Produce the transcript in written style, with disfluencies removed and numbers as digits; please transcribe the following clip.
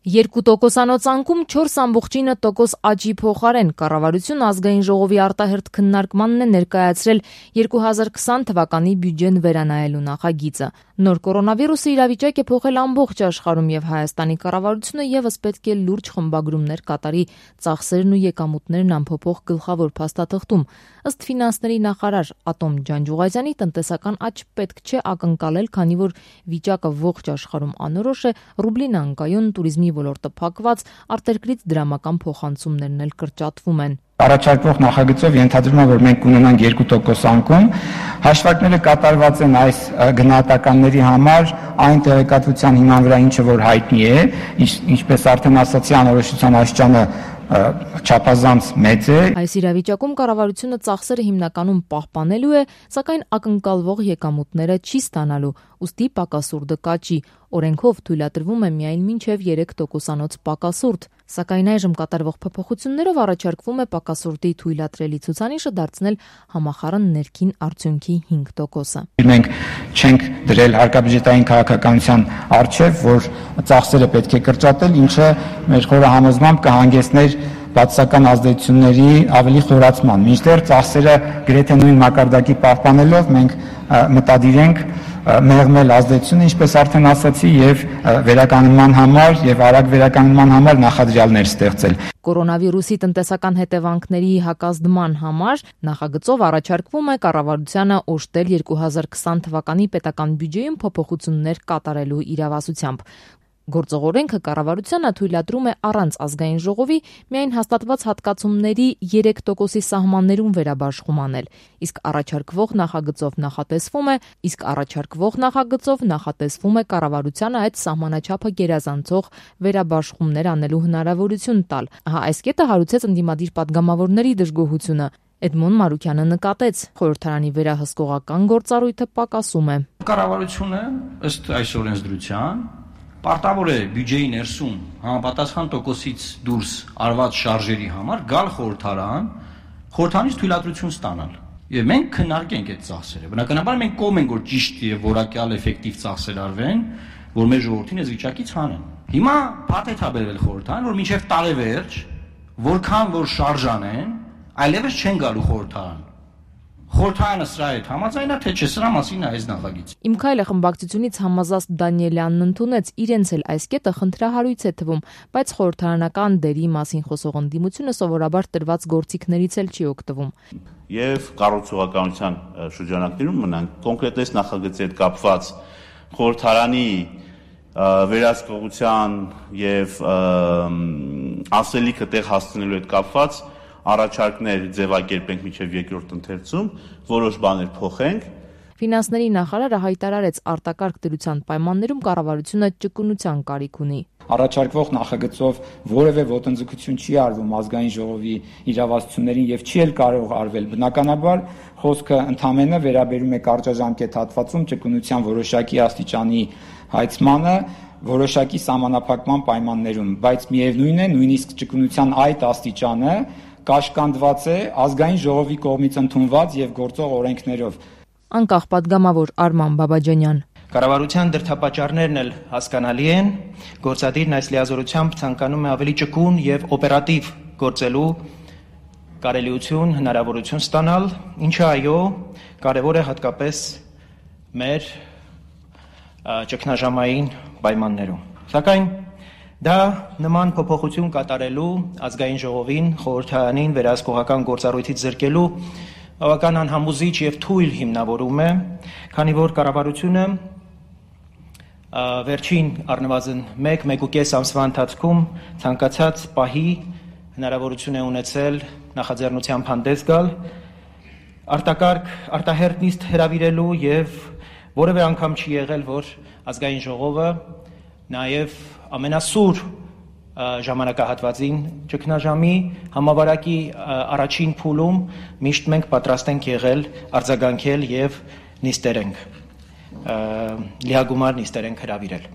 2% անկում 4.9% աճի փոխարեն կառավարությունը ազգային ժողովի արտահերթ քննարկմանն է ներկայացրել 2020 թվականի բյուջեն վերանայելու նախագիծը։ Նոր կորոնավիրուսի իրավիճակ է փոխել ամբողջ աշխարհում եւ Հայաստանի կառավարությունը եւս պետք է լուրջ խմբագրումներ կատարի ծախսերն ու եկամուտներն անփոփոխ գլխավոր փաստաթղթում։ Ըստ ֆինանսների նախարար Ատոմ Ջանջուղազյանի տնտեսական աճ պետք չէ ակնկալել, քանի որ վիճակը ողջ աշխարհում անորոշ է, ռուբլին անկայուն, туриզմի ոլորտը փակված, արտերկրից դրամական փոխանցումներն էլ կրճատվում են։ Առաջարկվող նախագծով ենթադրում է, որ մենք կունենանք 2% անկում, հաշվարկները կատարված են այս գնահատականների համար այն տեղեկատվության հիման վրա, ինչը որ հայտնի է, ինչպես արդեն ասացի, անորոշության աստիճանը չափազանց մեծ է։ Այս իրավիճակում կառավարությունը ծախսերը հիմնականում պահպանելու է, սակայն ակնկալվող եկամուտները չի ստանալու, ուստի պակասուրդը կաճի։ Օրենքով թույլատրվում է միայն մինչև 3%-անոց պակասուրդ, սակայն այժմ կատարվող փոփոխություններով առաջարկվում է պակասուրդի թույլատրելի ցուցանիշը դարձնել համախառն ներքին արդյունքի 5%-ը։ Մենք չենք դրել հարկաբյուջետային քաղաքականության առջև, որ ծախսերը պետք է կրճատել, ինչը մեր խորը համոզմամբ կհանգեցներ բացասական ազդեցությունների ավելի խորացման։ Մինչդեռ ծախսերը գրեթե նույն մակարդակի պահպանելով մենք մտադիր ենք մեղմել ազդեցությունը, ինչպես արդեն ասացի, եւ վերականգնման համար եւ արագ վերականգնման համար նախադրյալներ ստեղծել։ Կորոնավիրուսի տնտեսական հետևանքների հակազդման համար նախագծով առաջարկվում է կառավարությանը օժտել 2020 թվականի պետական բյուջեում փոփոխություններ կատարելու իրավասությամբ։ Գործող օրենքը կառավարությանը թույլատրում է առանց ազգային ժողովի միայն հաստատված հատկացումների 3%-ի սահմաններում վերաբաշխում անել, իսկ առաջարկվող նախագծով նախատեսվում է կառավարությանը այդ սահմանաչափը գերազանցող վերաբաշխումներ անելու հնարավորություն տալ։ Այս կետը հարուցեց ընդդիմադիր պատգամավորների դժգոհությունը։ Էդմոն Մարուկյանը նկատեց, խորհրդարանի վերահսկողական գործառույթը պակասում է։ Կառավարությունը ըստ այս օրենսդրության պարտավոր է բյուջեի ներսում համապատասխան տոկոսից դուրս արված շարժերի համար գալ խորհրդարանից թույլատրություն ստանալ։ Եվ մենք քննարկենք այդ ծախսերը։ Բնականաբար մենք կողմ ենք, որ ճիշտ եւ որակյալ էֆեկտիվ ծախսեր արվեն, որ մեր ժողովրդին այս վիճակից հանեն։ Հիմա փաթեթ է բերվել խորհրդարան, որ մինչեւ տարեվերջ որքան որ շարժանեն, այլևս չեն գալու խորհրդարան։ Խորհրդարանը սրա հետ համաձայն է, թե չէ, սրա մասին է այս նախագիծը։ Իմ քայլը խմբակցությունից Համազաստ Դանիելյանն ընդունեց, իրենց էլ այս կետը խնդրահարույց է թվում, բայց խորհրդարանական դերի մասին խոսող ընդդիմությունը սովորաբար տրված գործիքներից էլ չի օգտվում։ Եվ կառուցողականության շրջանակներում մնանք կոնկրետ այս նախագծի հետ կապված խորհրդարանի վերահսկողության եւ ասելիքը տեղ հասցնելու հետ կապված առաջարկներ ձևակերպենք մինչև երկրորդ ընթերցում, որոշ բաներ փոխենք։ Ֆինանսների նախարարը հայտարարեց արտակարգ դրության պայմաններում կառավարությունը ճկունության կարիք ունի։ Առաջարկվող նախագծով որևէ ոտնձգություն չի արվում ազգային ժողովի իրավասություններին եւ չի էլ կարող արվել։ Բնականաբար խոսքը ընդամենը վերաբերում է կարճաժամկետ հատվածում ճկունության որոշակի աստիճանի հայցմանը, որոշակի սահմանափակման պայմաններում, բայց միևնույն է, նույնիսկ ճկունության այդ աստիճանը կաշկանդված է ազգային ժողովի կողմից ընդունված եւ գործող օրենքներով։ Անկախ պատգամավոր Արման Բաբաջանյան։ Կառավարության դրդապատճառներն էլ հասկանալի են, գործադիրն այս լիազորությամբ ցանկանում է ավելի ճկուն եւ օպերատիվ գործելու կարելիություն, հնարավորություն ստանալ, ինչը այո, կարևոր է հատկապես մեր ճգնաժամային պայմաններում։ Սակայն դա նման փոփոխություն կատարելու ազգային ժողովին, խորհրդարանին վերահսկողական գործառույթից զրկելու բավական անհամոզիչ եւ թույլ հիմնավորում է, քանի որ կառավարությունը վերջին առնվազն 1-1.5 ամսվա ընթացքում ցանկացած պահի հնարավորություն է ունեցել նախաձեռնությամբ հանդես գալ, արտահերթ նիստ հրավիրելու եւ որևէ անգամ չի եղել, որ ազգային ժողովը նաեւ ամենասուր ժամանակահատվածին ճգնաժամի համավարակի առաջին փուլում միշտ մենք պատրաստ ենք եղել արձագանքել եւ նիստեր ենք լիագումար նիստեր ենք հրավիրել։